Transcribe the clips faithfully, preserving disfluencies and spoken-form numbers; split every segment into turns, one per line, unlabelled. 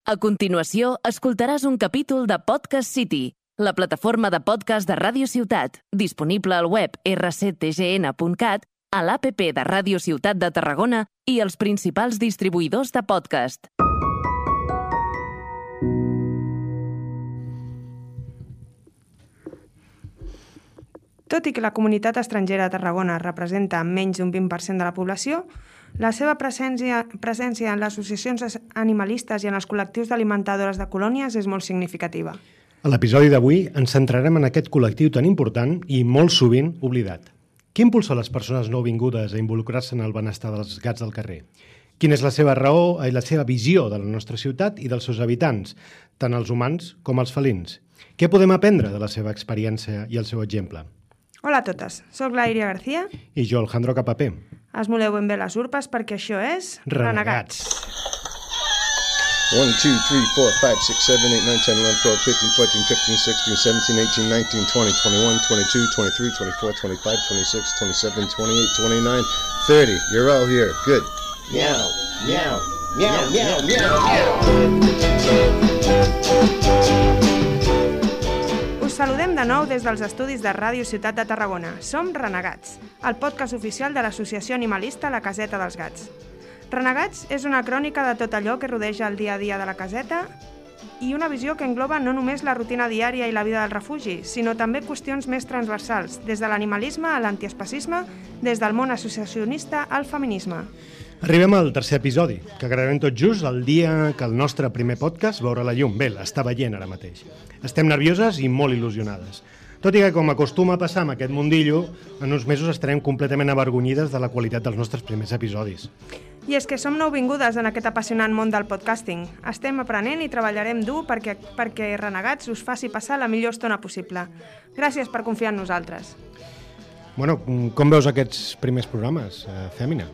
A continuació, escoltaràs un capítol de Podcast City, la plataforma de podcast de Ràdio Ciutat, disponible al web erre ce te ge ene punt cat, a l'app de Ràdio Ciutat de Tarragona i els principals distribuïdors de podcast.
Tot i que la comunitat estrangera a Tarragona representa menys d'un vint per cent de la població, la seva presència, presència en les associacions animalistes i en els col·lectius d'alimentadores de colònies és molt significativa.
A l'episodi d'avui ens centrarem en aquest col·lectiu tan important i molt sovint oblidat. Què impulsa les persones nouvingudes a involucrar-se en el benestar dels gats del carrer? Quina és la seva raó i la seva visió de la nostra ciutat i dels seus habitants, tant els humans com els felins? Què podem aprendre de la seva experiència i el seu exemple?
Hola a totes, soc la Iria García.
I jo, Alejandro Capapé.
Esmoleu ben bé les urpes perquè això és...
Renegats.
one, two, three, four, five, six, seven, eight, nine, ten, eleven, twelve, thirteen, fourteen, fifteen, sixteen, seventeen, eighteen, nineteen, twenty, twenty-one, twenty-two, twenty-three, twenty-four, twenty-five, twenty-six, twenty-seven, twenty-eight, twenty-nine, thirty. You're all here. Good. Meow, meow, meow, meow, meow, meow.
Us saludem de nou des dels estudis de Ràdio Ciutat de Tarragona. Som Renegats, el podcast oficial de l'associació animalista La Caseta dels Gats. Renegats és una crònica de tot allò que rodeja el dia a dia de la caseta i una visió que engloba no només la rutina diària i la vida del refugi, sinó també qüestions més transversals, des de l'animalisme a l'antiespecisme, des del món associacionista al feminisme.
Arribem al tercer episodi, que gravarem tot just el dia que el nostre primer podcast veurà la llum. Bé, l'està veient ara mateix. Estem nervioses i molt il·lusionades. Tot i que, com acostuma a passar amb aquest mundillo, en uns mesos estarem completament avergonyides de la qualitat dels nostres primers episodis.
I és que som nouvingudes en aquest apassionant món del podcasting. Estem aprenent i treballarem dur perquè, perquè Renegats us faci passar la millor estona possible. Gràcies per confiar en nosaltres.
Bueno, com veus aquests primers programes, eh, Fèmina?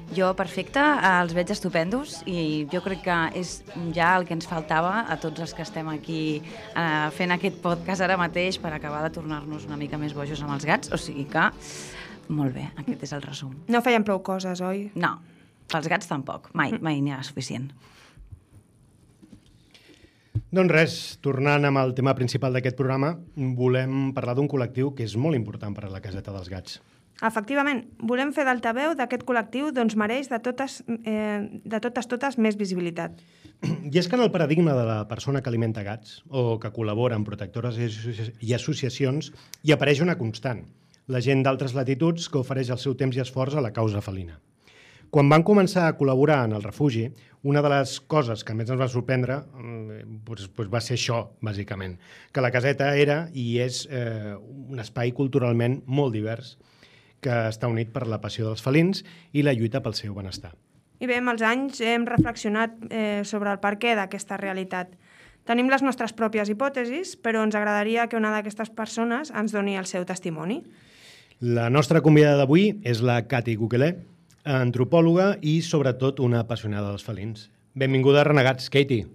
Jo, perfecte, els veig estupendos i jo crec que és ja el que ens faltava a tots els que estem aquí eh, fent aquest podcast ara mateix per acabar de tornar-nos una mica més bojos amb els gats, o sigui que molt bé, aquest és el resum.
No feien prou coses, oi?
No, pels gats tampoc, mai, mai n'hi ha suficient.
Doncs res, tornant amb el tema principal d'aquest programa, volem parlar d'un col·lectiu que és molt important per a la Caseta dels Gats.
Efectivament, volem fer d'altaveu d'aquest col·lectiu doncs mereix de totes, eh, de totes totes més visibilitat.
I és que en el paradigma de la persona que alimenta gats o que col·labora amb protectores i associacions hi apareix una constant, la gent d'altres latituds que ofereix el seu temps i esforç a la causa felina. Quan van començar a col·laborar en el refugi, una de les coses que més ens va sorprendre doncs, doncs va ser això, bàsicament, que la caseta era i és eh, un espai culturalment molt divers, que està unit per la passió dels felins i la lluita pel seu benestar.
I bé, amb els anys hem reflexionat eh, sobre el perquè d'aquesta realitat. Tenim les nostres pròpies hipòtesis, però ens agradaria que una d'aquestes persones ens doni el seu testimoni.
La nostra convidada d'avui és la Cati Guquelé, antropòloga i, sobretot, una apassionada dels felins. Benvinguda a Renegats, Katie.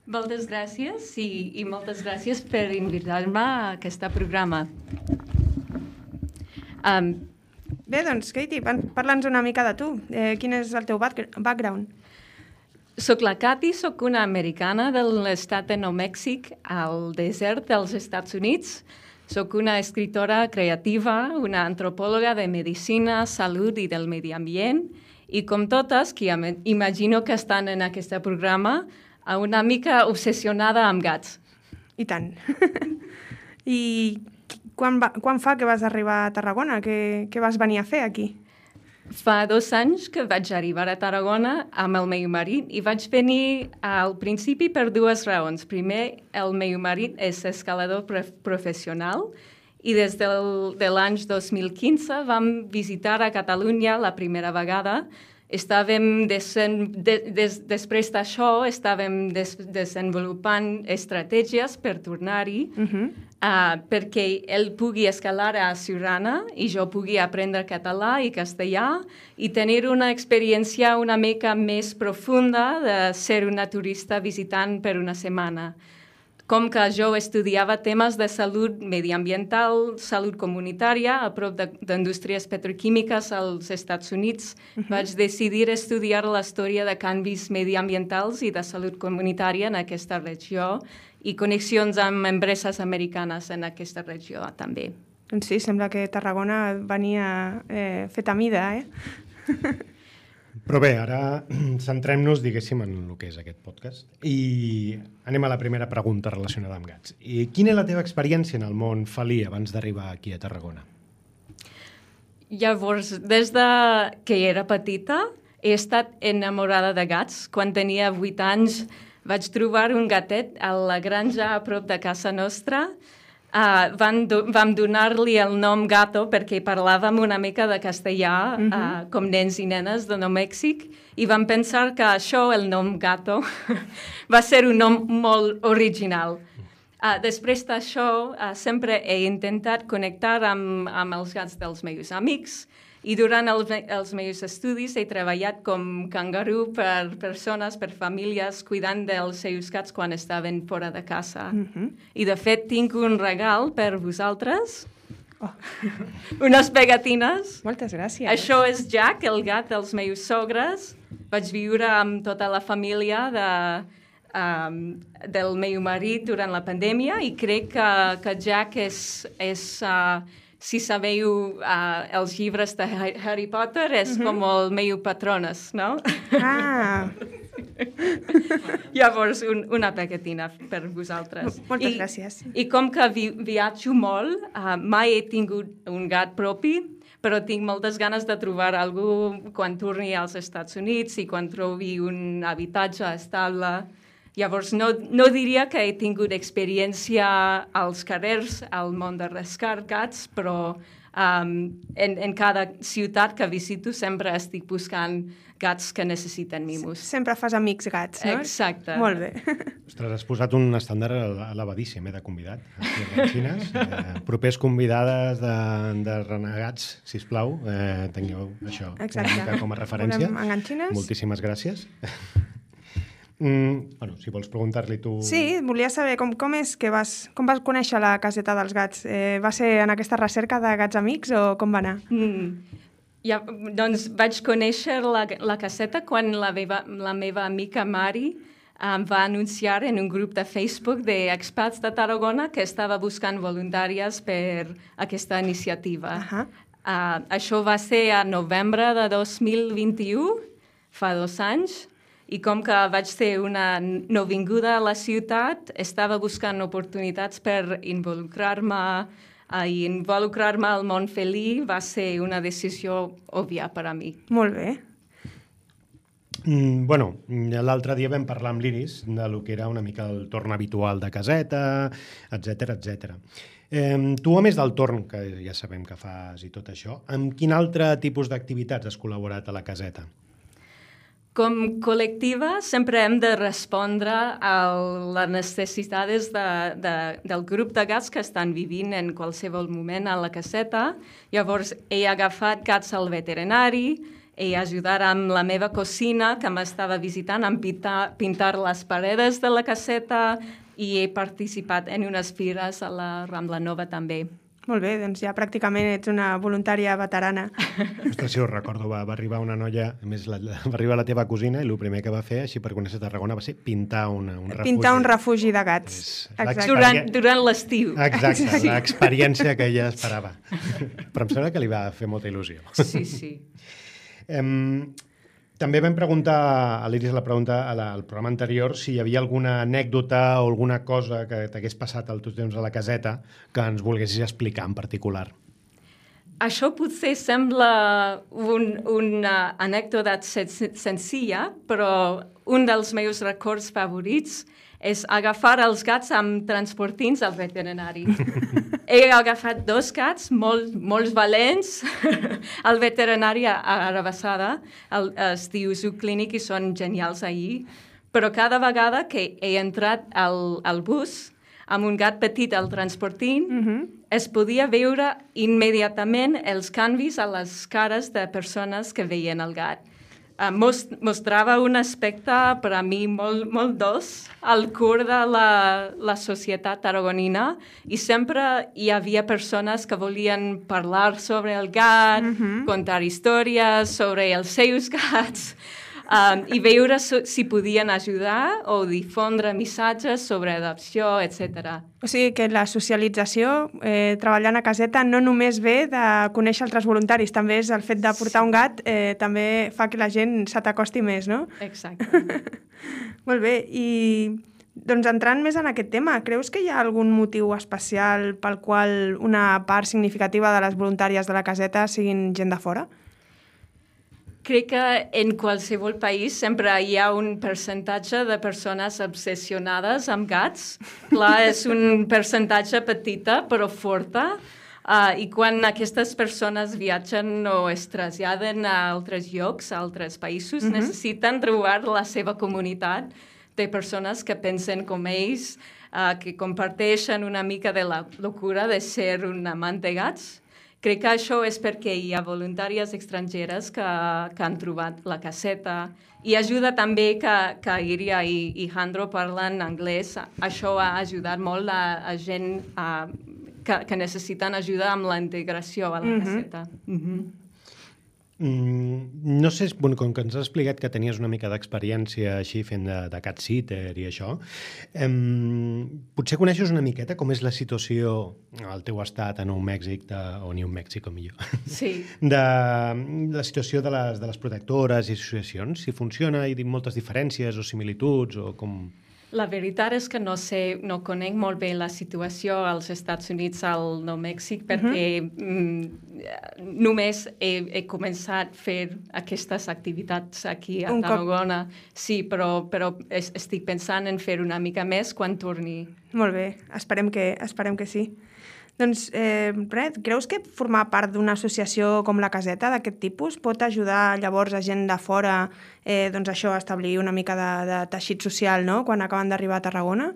Moltes gràcies i, i moltes gràcies per invitar-me a aquest programa. Um,
Bé, doncs, Katie, parla'ns una mica de tu. Eh, quin és el teu background?
Soc la Cati, soc una americana de l'estat de Nou Mèxic, al desert dels Estats Units. Soc una escritora creativa, una antropòloga de medicina, salut i del medi ambient, i com totes, que imagino que estan en aquest programa, una mica obsessionada amb gats.
I tant. I quan, va, quan fa que vas arribar a Tarragona? Què, què vas venir a fer aquí?
Fa dos anys que vaig arribar a Tarragona amb el meu marit i vaig venir al principi per dues raons. Primer, el meu marit és escalador professional i des del, de l'any dos mil quinze vam visitar a Catalunya la primera vegada. Estàvem desen, de, des, després d'això estàvem des, desenvolupant estratègies per tornar-hi, uh-huh. uh, perquè ell pugui escalar a Siurana i jo pugui aprendre català i castellà i tenir una experiència una mica més profunda de ser una turista visitant per una setmana. com que jo estudiava temes de salut mediambiental, salut comunitària, a prop d'indústries petroquímiques als Estats Units, uh -huh. vaig decidir estudiar la història de canvis mediambientals i de salut comunitària en aquesta regió i connexions amb empreses americanes en aquesta regió també.
Doncs sí, sembla que Tarragona venia eh, fet a mida, eh?
Però bé, ara centrem-nos, diguéssim, en el que és aquest podcast. I anem a la primera pregunta relacionada amb gats. I quina és la teva experiència en el món felí abans d'arribar aquí a Tarragona?
Llavors, des de que era petita, he estat enamorada de gats. Quan tenia vuit anys vaig trobar un gatet a la granja a prop de casa nostra. Uh, van do vam donar-li el nom Gato perquè parlàvem una mica de castellà, uh -huh. uh, com nens i nenes de Nou Mèxic, i vam pensar que això, el nom Gato, va ser un nom molt original. Uh, després d'això, uh, sempre he intentat connectar amb, amb els gats dels meus amics, i durant el, els meus estudis he treballat com cangarú per persones, per famílies, cuidant dels seus gats quan estaven fora de casa. Uh-huh. I, de fet, tinc un regal per vosaltres. Oh. Unes pegatines.
Moltes gràcies.
Això és Jack, el gat dels meus sogres. Vaig viure amb tota la família de, um, del meu marit durant la pandèmia i crec que, que Jack és... és uh, si sabeu uh, els llibres de Harry Potter, és uh-huh. com el meu patrones, no?
Ah!
Llavors, un, una pegatina per vosaltres.
Moltes
I,
gràcies.
I com que vi, viatjo molt, uh, mai he tingut un gat propi, però tinc moltes ganes de trobar algú quan torni als Estats Units i quan trobi un habitatge estable. Llavors, no, no diria que he tingut experiència als carrers, al món de rescar gats, però um, en, en cada ciutat que visito sempre estic buscant gats que necessiten mimos.
Sempre fas amics gats, no?
Exacte.
Molt bé.
Ostres, has posat un estàndard elevadíssim, eh, de convidat. Aquí eh, propers convidades de, de renegats, sisplau, eh, tingueu això
Exacte.
com a referència.
Volem enganxines?
Moltíssimes gràcies. Mm, bueno, si vols preguntar-li tu...
Sí, volia saber com, com és que vas, com vas conèixer la caseta dels gats. Eh, va ser en aquesta recerca de gats amics o com va anar?
Mm. Ja, doncs vaig conèixer la, la caseta quan la meva, la meva amica Mari em va anunciar en un grup de Facebook d'expats de Tarragona que estava buscant voluntàries per aquesta iniciativa. Uh -huh. uh, això va ser a novembre de dos mil vint-i-u, fa dos anys, i com que vaig ser una nouvinguda a la ciutat, estava buscant oportunitats per involucrar-me uh, i involucrar-me al món felí va ser una decisió òbvia per a mi.
Molt bé.
Mm, bueno, l'altre dia vam parlar amb l'Iris de lo que era una mica el torn habitual de caseta, etcètera, etcètera. Eh, tu, a més del torn, que ja sabem que fas i tot això, amb quin altre tipus d'activitats has col·laborat a la caseta?
Com col·lectiva sempre hem de respondre a les necessitats de, de, del grup de gats que estan vivint en qualsevol moment a la caseta. Llavors he agafat gats al veterinari, he ajudat amb la meva cosina que m'estava visitant a pintar, pintar les paredes de la caseta i he participat en unes fires a la Rambla Nova també.
Molt bé, doncs ja pràcticament ets una voluntària veterana.
Ostres, sí, ho recordo, va, va arribar una noia, a més la, la, va arribar la teva cosina i el primer que va fer, així per conèixer Tarragona, va ser pintar una, un refugi.
Pintar un refugi de gats.
Durant, durant l'estiu.
Exacte, Exacte. L'experiència que ella esperava. Però em sembla que li va fer molta il·lusió.
Sí, sí.
Um, també vam preguntar a l'Iris la pregunta a la, al programa anterior si hi havia alguna anècdota o alguna cosa que t'hagués passat al teu temps a la caseta que ens volguessis explicar en particular.
Això potser sembla un, una anècdota senzilla, però un dels meus records favorits és agafar els gats amb transportins al veterinari. He agafat dos gats molt, molt valents al veterinari a Arabassada, el, es diu Zooclinic i són genials ahir, però cada vegada que he entrat al, al bus amb un gat petit al transportín, uh-huh. es podia veure immediatament els canvis a les cares de persones que veien el gat. uh, most, mostrava un aspecte per a mi molt, molt dolç al cor de la, la societat tarragonina i sempre hi havia persones que volien parlar sobre el gat, mm-hmm. contar històries sobre els seus gats, Um, i veure so, si podien ajudar o difondre missatges sobre adopció, etcètera.
O sigui que la socialització, eh, treballant a caseta, no només ve de conèixer altres voluntaris, també és el fet de portar sí. un gat, eh, també fa que la gent se t'acosti més, no?
Exacte.
Molt bé, i doncs entrant més en aquest tema, creus que hi ha algun motiu especial pel qual una part significativa de les voluntàries de la caseta siguin gent de fora?
Crec que en qualsevol país sempre hi ha un percentatge de persones obsessionades amb gats. Clar, és un percentatge petita però forta. Uh, I quan aquestes persones viatgen o es traslladen a altres llocs, a altres països, mm-hmm. necessiten trobar la seva comunitat de persones que pensen com ells, uh, que comparteixen una mica de la locura de ser un amant de gats. Crec que això és perquè hi ha voluntàries estrangeres que, que han trobat la caseta i ajuda també que, que Iria i, i Jandro parlen anglès. Això ha ajudat molt a, a gent a, que, que necessiten ajuda amb la integració a la mm-hmm. caseta. Mm-hmm.
Mm, no sé, bueno, com que ens has explicat que tenies una mica d'experiència així fent de, de cat sitter i això, eh, potser coneixes una miqueta com és la situació al teu estat a Nou Mèxic, de, o New Mexico millor,
sí.
de la situació de les, de les protectores i associacions, si funciona, hi ha moltes diferències o similituds o com...
La veritat és que no sé, no conec molt bé la situació als Estats Units, al Nou Mèxic, perquè uh-huh. mm, només he, he començat a fer aquestes activitats aquí a Tarragona. Sí, però, però estic pensant en fer una mica més quan torni.
Molt bé, esperem que, esperem que sí. Doncs, eh, res, creus que formar part d'una associació com la Caseta d'aquest tipus pot ajudar llavors a gent de fora eh, doncs això, a establir una mica de, de teixit social, no?, quan acaben d'arribar a Tarragona?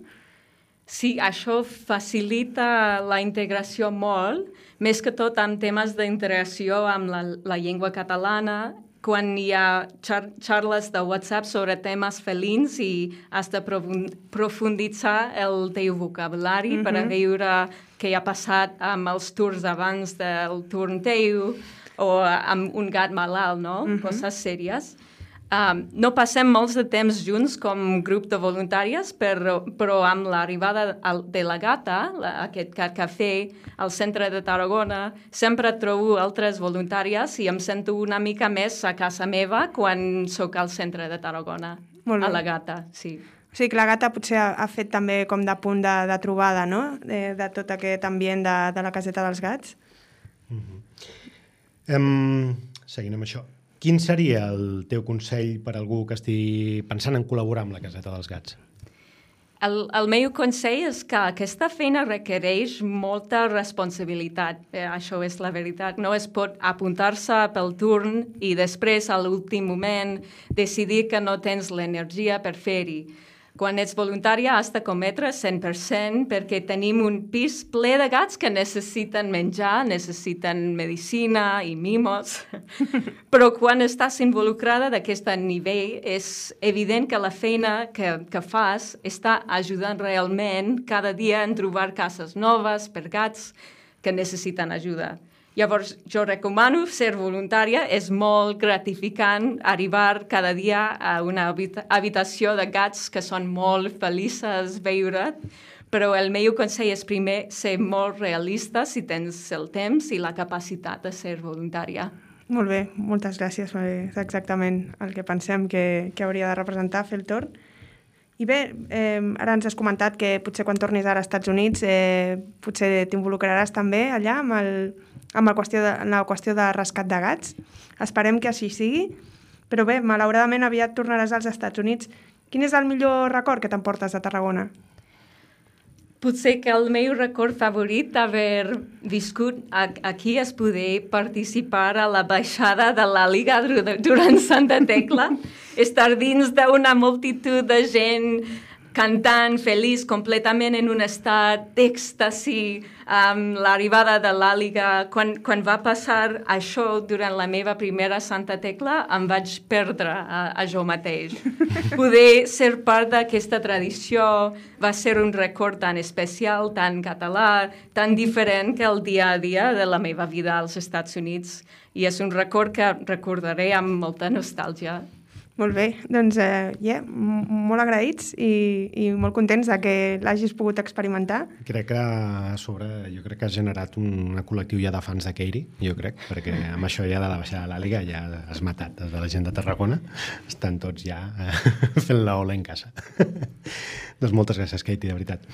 Sí, això facilita la integració molt, més que tot amb temes d'integració amb la, la llengua catalana, quan hi ha xar xarles de WhatsApp sobre temes felins i has de profunditzar el teu vocabulari mm-hmm. per a veure què ha passat amb els turns abans del turn teu o amb un gat malalt, no? Mm-hmm. Coses sèries. Um, no passem molts de temps junts com grup de voluntàries, però, però amb l'arribada de la gata, la, aquest cat cafè al centre de Tarragona, sempre trobo altres voluntàries i em sento una mica més a casa meva quan sóc al centre de Tarragona, a la gata, sí.
O sigui que la gata potser ha, ha fet també com de punt de, de trobada, no?, de, de tot aquest ambient de, de la caseta dels gats.
Mm-hmm. um, seguint amb això. Quin seria el teu consell per a algú que estigui pensant en col·laborar amb la caseta dels gats?
El, el meu consell és que aquesta feina requereix molta responsabilitat. Eh, això és la veritat. No es pot apuntar-se pel turn i després, a l'últim moment, decidir que no tens l'energia per fer-hi. Quan ets voluntària has de cometre cent per cent perquè tenim un pis ple de gats que necessiten menjar, necessiten medicina i mimos. Però quan estàs involucrada d'aquest nivell és evident que la feina que, que fas està ajudant realment cada dia en trobar cases noves per gats que necessiten ajuda. Llavors, jo recomano ser voluntària, és molt gratificant arribar cada dia a una habitació de gats que són molt felices veure't, però el meu consell és primer ser molt realista si tens el temps i la capacitat de ser voluntària.
Molt bé, moltes gràcies. És exactament el que pensem que, que hauria de representar fer el torn. I bé, eh, ara ens has comentat que potser quan tornis ara als Estats Units eh, potser t'involucraràs també allà amb, el, amb el qüestió de, la qüestió de rescat de gats. Esperem que així sigui, però bé, malauradament aviat tornaràs als Estats Units. Quin és el millor record que t'emportes de Tarragona?
Potser que el meu record favorit d'haver viscut aquí és poder participar a la baixada de la Liga durant Santa Tecla, estar dins d'una multitud de gent cantant, feliç, completament en un estat d'èxtasi, amb l'arribada de l'àliga. Quan, quan va passar això durant la meva primera Santa Tecla, em vaig perdre a, a jo mateix. Poder ser part d'aquesta tradició va ser un record tan especial, tan català, tan diferent que el dia a dia de la meva vida als Estats Units. I és un record que recordaré amb molta nostàlgia.
Molt bé, doncs eh, yeah, molt agraïts i, i molt contents de que l'hagis pogut experimentar.
Crec que a sobre, jo crec que has generat un col·lectiu ja de fans de Keiri, jo crec, perquè amb això ja de la baixada de l'àliga ja has matat des de la gent de Tarragona. Estan tots ja eh, fent la ola en casa. Doncs moltes gràcies, Katie, de veritat.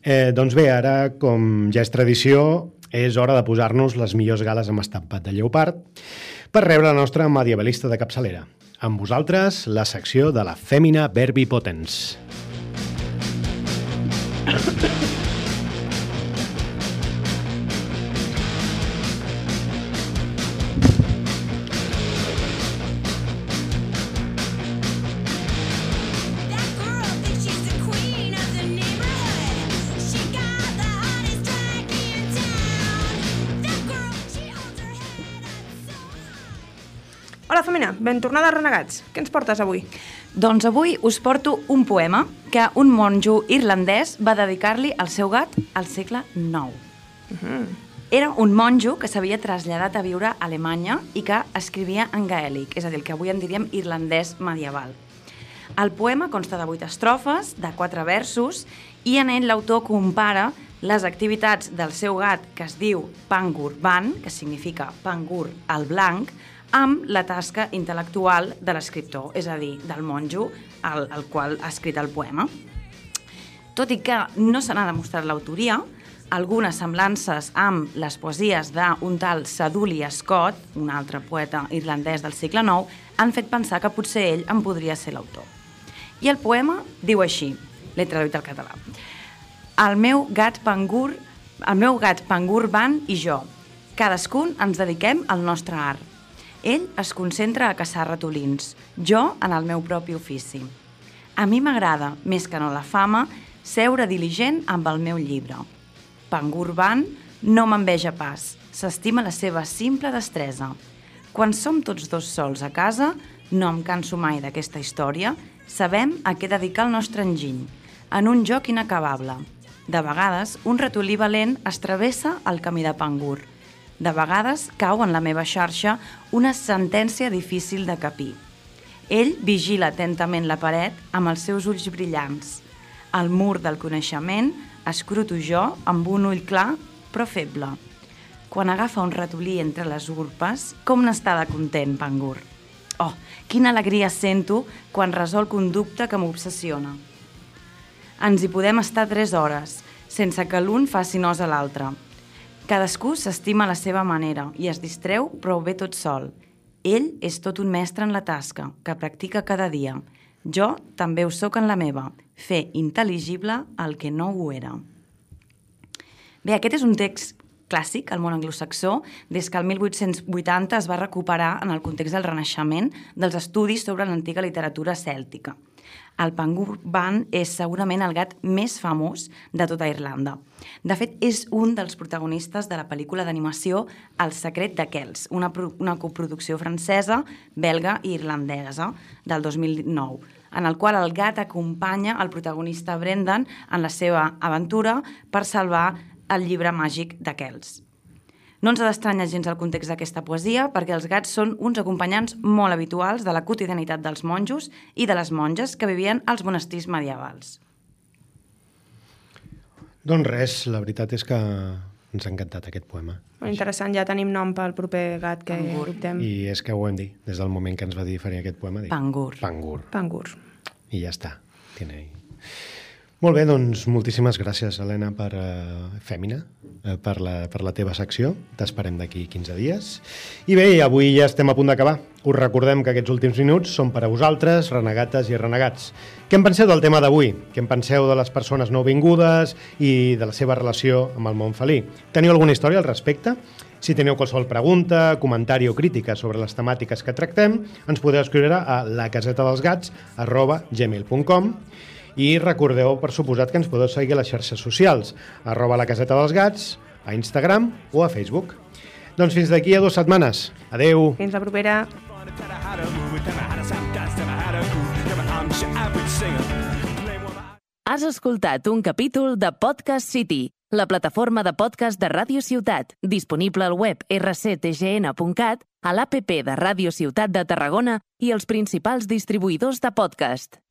Eh, doncs bé, ara, com ja és tradició, és hora de posar-nos les millors gales amb estampat de lleopard per rebre la nostra medievalista de capçalera. Amb vosaltres, la secció de la Femina Verbi Potens.
Hola, Femina, ben tornada a Renegats. Què ens portes avui?
Doncs avui us porto un poema que un monjo irlandès va dedicar-li al seu gat al segle nou. Uh-huh. Era un monjo que s'havia traslladat a viure a Alemanya i que escrivia en gaèlic, és a dir, el que avui en diríem irlandès medieval. El poema consta de vuit estrofes, de quatre versos, i en ell l'autor compara les activitats del seu gat, que es diu Pangur Ban, que significa Pangur el blanc, amb la tasca intel·lectual de l'escriptor, és a dir, del monjo al, al qual ha escrit el poema. Tot i que no se n'ha demostrat l'autoria, algunes semblances amb les poesies d'un tal Saduli Scott, un altre poeta irlandès del segle nou, han fet pensar que potser ell en podria ser l'autor. I el poema diu així, l'he traduït al català. El meu gat Pangur, el meu gat Pangur Ban i jo, cadascun ens dediquem al nostre art. Ell es concentra a caçar ratolins, jo en el meu propi ofici. A mi m'agrada, més que no la fama, seure diligent amb el meu llibre. Pangur Ban no m'enveja pas, s'estima la seva simple destresa. Quan som tots dos sols a casa, no em canso mai d'aquesta història, sabem a què dedicar el nostre enginy, en un joc inacabable. De vegades, un ratolí valent es travessa el camí de Pangur. De vegades cau en la meva xarxa una sentència difícil de capir. Ell vigila atentament la paret amb els seus ulls brillants. El mur del coneixement escruto jo amb un ull clar però feble. Quan agafa un ratolí entre les urpes, com n'està de content, Pangur. Oh, quina alegria sento quan resolc un dubte que m'obsessiona. Ens hi podem estar tres hores, sense que l'un faci nos a l'altre. Cadascú s'estima a la seva manera i es distreu prou bé tot sol. Ell és tot un mestre en la tasca, que practica cada dia. Jo també ho soc en la meva, fer intel·ligible el que no ho era. Bé, aquest és un text clàssic al món anglosaxó, des que el mil vuit-cents vuitanta es va recuperar en el context del Renaixement dels estudis sobre l'antiga literatura cèltica. El Pangur Ban és segurament el gat més famós de tota Irlanda. De fet, és un dels protagonistes de la pel·lícula d'animació El secret de Kells, una, una coproducció francesa, belga i irlandesa del dos mil nou, en el qual el gat acompanya el protagonista Brendan en la seva aventura per salvar el llibre màgic de Kells. No ens ha d'estranyar gens el context d'aquesta poesia perquè els gats són uns acompanyants molt habituals de la quotidianitat dels monjos i de les monges que vivien als monestirs medievals.
Doncs res, la veritat és que ens ha encantat aquest poema.
Molt interessant, ja tenim nom pel proper gat que
Pangur.
adoptem.
I és que ho hem dit, des del moment que ens va dir faré aquest poema. Dic,
Pangur.
Pangur.
Pangur.
I ja està. Tiene ahí. Molt bé, doncs moltíssimes gràcies, Helena, per uh, Fèmina, uh, per, la, per la teva secció. T'esperem d'aquí quinze dies. I bé, avui ja estem a punt d'acabar. Us recordem que aquests últims minuts són per a vosaltres, renegates i renegats. Què en penseu del tema d'avui? Què en penseu de les persones nouvingudes i de la seva relació amb el món felí? Teniu alguna història al respecte? Si teniu qualsevol pregunta, comentari o crítica sobre les temàtiques que tractem, ens podeu escriure a la caseta dels gats arroba gmail punt com. I recordeu, per suposat, que ens podeu seguir a les xarxes socials, arroba la caseta dels gats, a Instagram o a Facebook. Doncs fins d'aquí a dues setmanes. Adeu!
Fins la propera!
Has escoltat un capítol de Podcast City, la plataforma de podcast de Ràdio Ciutat, disponible al web erre ce te ge ene punt cat, a l'app de Ràdio Ciutat de Tarragona i els principals distribuïdors de podcast.